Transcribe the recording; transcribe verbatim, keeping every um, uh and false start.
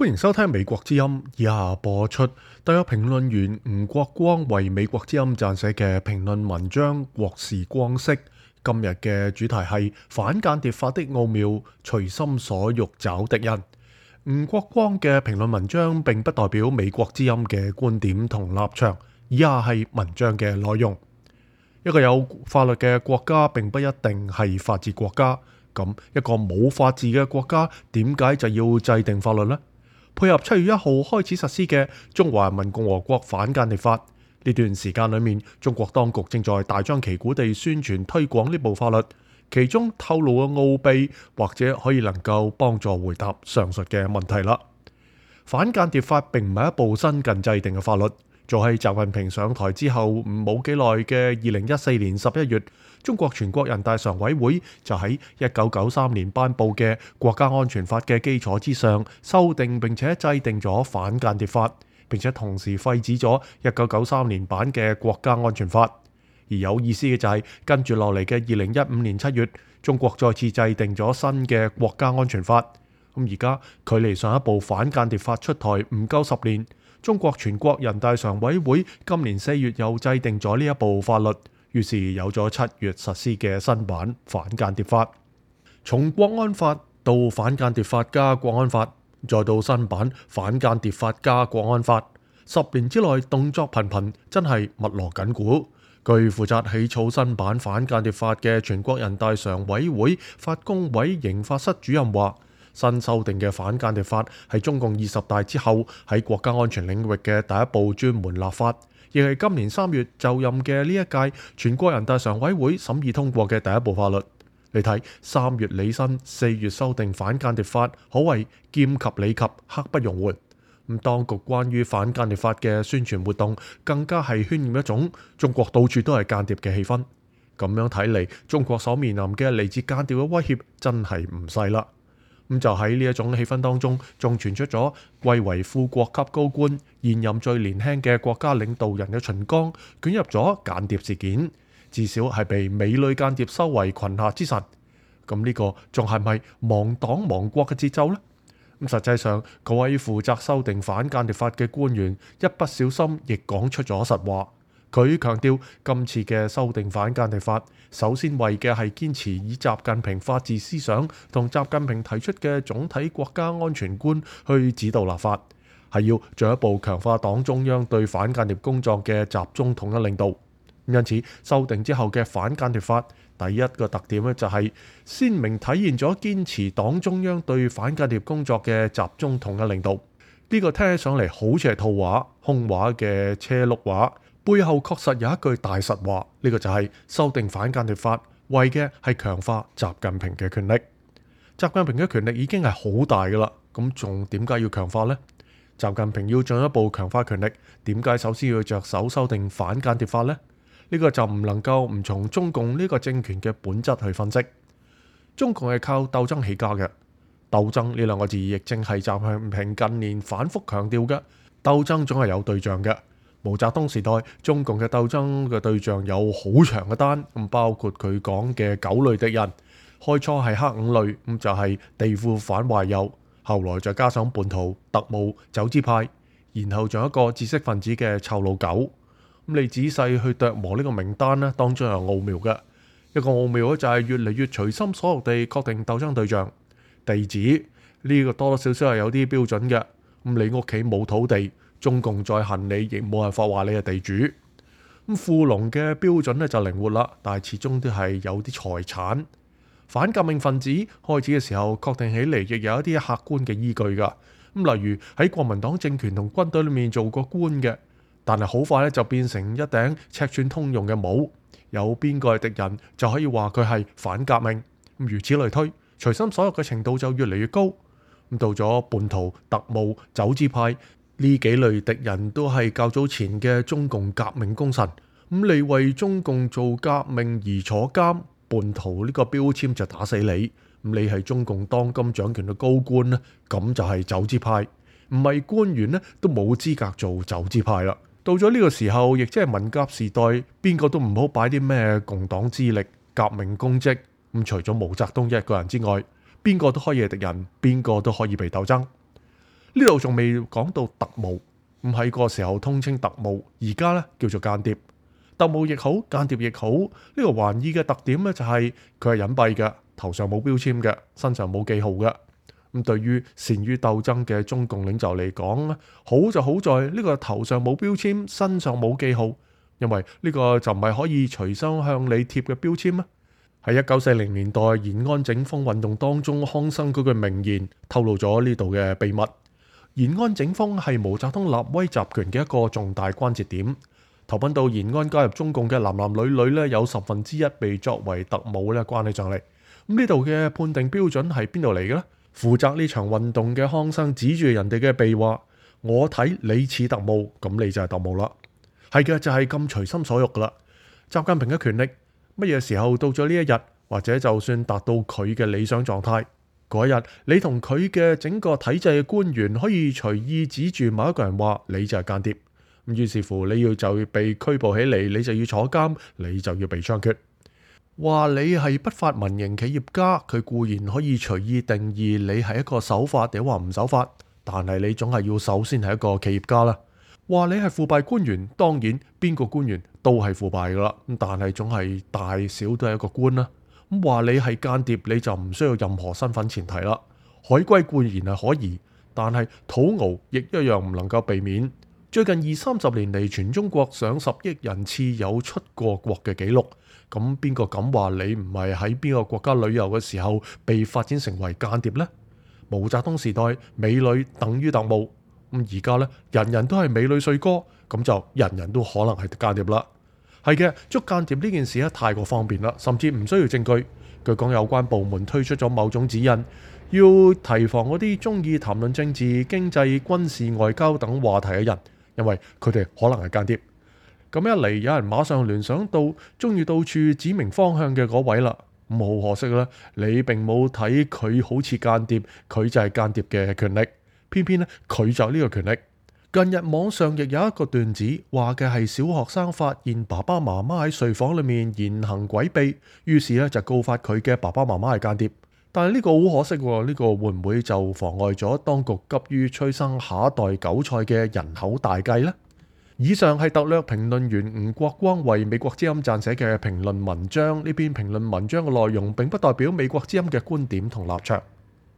歡迎收聽美國之音，以下播出特約評論員吳國光為美國之音撰寫嘅評論文章《國事光色》。今日嘅主題係反間諜法的奧妙，隨心所欲找敵人。吳國光嘅評論文章並不代表美國之音嘅觀點同立場，以下係文章嘅內容。一個有法律嘅國家並不一定係法治國家，咁一個冇法治嘅國家點解就要制定法律呢？配合七月一號開始實施嘅《中華人民共和國反間諜法》，呢段時間裏面，中國當局正在大張旗鼓地宣傳推廣呢部法律，其中透露嘅奧秘或者可以能夠幫助回答上述嘅問題啦。反間諜法並唔係一部新近制定嘅法律，早喺習近平上台之後冇幾耐嘅二零一四年十一月，中國全國人大常委會就喺一九九三年頒布嘅國家安全法嘅基礎之上，修訂並且制定咗反間諜法，並且同時廢止咗一九九三年版嘅國家安全法。而有意思嘅就係、是、跟住落嚟嘅二零一五年七月，中國再次制定咗新嘅國家安全法。咁而家距離上一部反間諜法出台唔夠十年，中國全國人大常委會今年四月又制定咗呢一部法律，於是有咗七月實施嘅新版反間諜法。從國安法到反間諜法加國安法，再到新版反間諜法加國安法，十年之內動作頻頻，真係密鑼緊鼓。據負責起草新版反間諜法嘅全國人大常委會法工委刑法室主任話，新修訂嘅反間諜法係中共二十大之後喺國家安全領域嘅第一部專門立法，亦係今年三月就任嘅呢一屆全國人大常委會審議通過嘅第一部法律。你睇，三月履新，四月修訂反間諜法，可謂劍及理及，刻不容緩。咁當局關於反間諜法嘅宣傳活動，更加係渲染一種中國到處都係間諜嘅氣氛。咁樣睇嚟，中國所面臨嘅嚟自間諜嘅威脅真係唔細啦。咁就喺呢一種氣氛當中，仲傳出咗貴為副國級高官、現任最年輕嘅國家領導人嘅秦剛捲入咗間諜事件，至少係被美女間諜收為裙下之臣。咁呢個仲係咪亡黨亡國嘅節奏呢？咁實際上，嗰位負責修訂反間諜法嘅官員一不小心亦講出咗實話。佢強調今次嘅修訂反間諜法，首先為嘅係堅持以習近平法治思想同習近平提出嘅總體國家安全觀去指導立法，係要進一步強化黨中央對反間諜工作嘅集中統一領導。因此，修訂之後嘅反間諜法第一個特點咧，就係鮮明體現咗堅持黨中央對反間諜工作嘅集中統一領導。呢、這個聽起上嚟好似係套話、空話嘅車轆話，背後確實有一句大實話。呢、這個就係修訂反間諜法，為嘅係強化習近平嘅權力。習近平嘅權力已經係好大噶啦，咁仲點解要強化呢？習近平要進一步強化權力，點解首先要着手修訂反間諜法呢？呢個就唔能夠唔從中共呢個政權嘅本質去分析。中共係靠鬥爭起家嘅，鬥爭呢兩個字亦正係習近平近年反覆強調嘅。鬥爭總係有對象嘅。毛澤東時代，中共嘅鬥爭嘅對象有好長嘅單，咁包括佢講嘅九類敵人，開初係黑五類，咁就係地富反壞右，後來再加上叛徒、特務、走資派，然後仲有一個知識分子嘅臭老狗。咁你仔細去琢磨呢個名單咧，當中有奧妙嘅。一個奧妙咧就係越嚟越隨心所欲地確定鬥爭對象。地址呢個多多少少係有啲標準嘅。咁你屋企冇土地，中共再恨你亦冇辦法話你係地主。咁富農嘅標準咧就靈活啦，但係始終都係有啲財產。反革命分子開始嘅時候確定起嚟亦有一啲客觀嘅依據㗎。咁例如喺國民黨政權同軍隊裏面做過官嘅。但係好快咧就變成一頂尺寸通用嘅帽，有邊個係敵人就可以話佢係反革命，咁如此類推，隨心所欲嘅程度就越嚟越高。咁到咗叛徒、特務、走資派呢幾類敵人都係較早前嘅中共革命功臣，咁你為中共做革命而坐監，叛徒呢個標籤就打死你。咁你係中共當今掌權嘅高官咧，咁就係走資派，唔係官員咧都冇資格做走資派啦。到咗呢個時候，亦即係文革時代，邊個都唔好擺啲咩共黨資歷、革命功績。咁除咗毛澤東一個人之外，邊個都可以係敵人，邊個都可以被鬥爭。呢度仲未講到特務，唔係個時候通稱特務，而家咧叫做間諜。特務亦好，間諜亦好，呢、這個還意嘅特點咧就係佢係隱蔽嘅，頭上冇標籤嘅，身上冇記號嘅。咁對於善於鬥爭嘅中共領袖嚟講咧，好就好在呢個頭上冇標籤，身上冇記號，因為呢個就唔係可以隨身向你貼嘅標籤啊。喺一九四零年代延安整風運動當中，康生嗰句名言透露咗呢度嘅秘密。延安整風係毛澤東立威集權嘅一個重大關節點。投奔到延安加入中共嘅男男女女咧，有十分之一被作為特務咧關起上嚟。咁呢度嘅判定標準係邊度嚟嘅咧？負責呢場運動嘅康生指住人哋嘅鼻話：我睇你似特務，咁你就係特務啦。係嘅，就係咁隨心所欲噶啦。習近平嘅權力乜嘢時候到咗呢一日，或者就算達到佢嘅理想狀態嗰一日，你同佢嘅整個體制嘅官員可以隨意指住某一個人話你就係間諜，咁於是乎你要就要被拘捕起嚟，你就要坐監，你就要被槍決。話你係不法民營企業家，佢固然可以隨意定義你係一個守法定話唔守法，但係你總係要首先係一個企業家啦。話你係腐敗官員，當然邊個官員都係腐敗噶啦，但係總係大小都係一個官啦。咁話你係間諜，你就唔需要任何身份前提啦。海歸固然係可疑，但係土豪亦一樣唔能夠避免。最近二三十年嚟，全中國上十億人次有出過國嘅記錄，咁邊個敢話你唔係喺邊個國家旅遊嘅時候被發展成為間諜呢？毛澤東時代美女等於特務，咁而家呢，人人都係美女帥哥，咁就人人都可能係間諜啦。係嘅，捉間諜呢件事咧太過方便啦，甚至唔需要證據。據講有關部門推出咗某種指引，要提防嗰啲中意談論政治、經濟、軍事、外交等話題嘅人，因為佢哋可能係間諜。咁一嚟，有人馬上聯想到中意到處指明方向嘅嗰位啦。咁好可惜啦，你並冇睇佢好似間諜，佢就係間諜嘅權力。偏偏咧，佢就呢個權力。近日網上亦有一個段子，話嘅係小學生發現爸爸媽媽喺睡房裏面言行詭秘，於是咧就告發佢嘅爸爸媽媽係間諜。但係呢個好可惜喎，呢個會唔會就妨礙咗當局急於催生下一代韭菜嘅人口大計呢？以上係特略評論員吳國光為美國之音撰寫嘅評論文章，呢篇評論文章嘅內容並不代表美國之音嘅觀點同立場。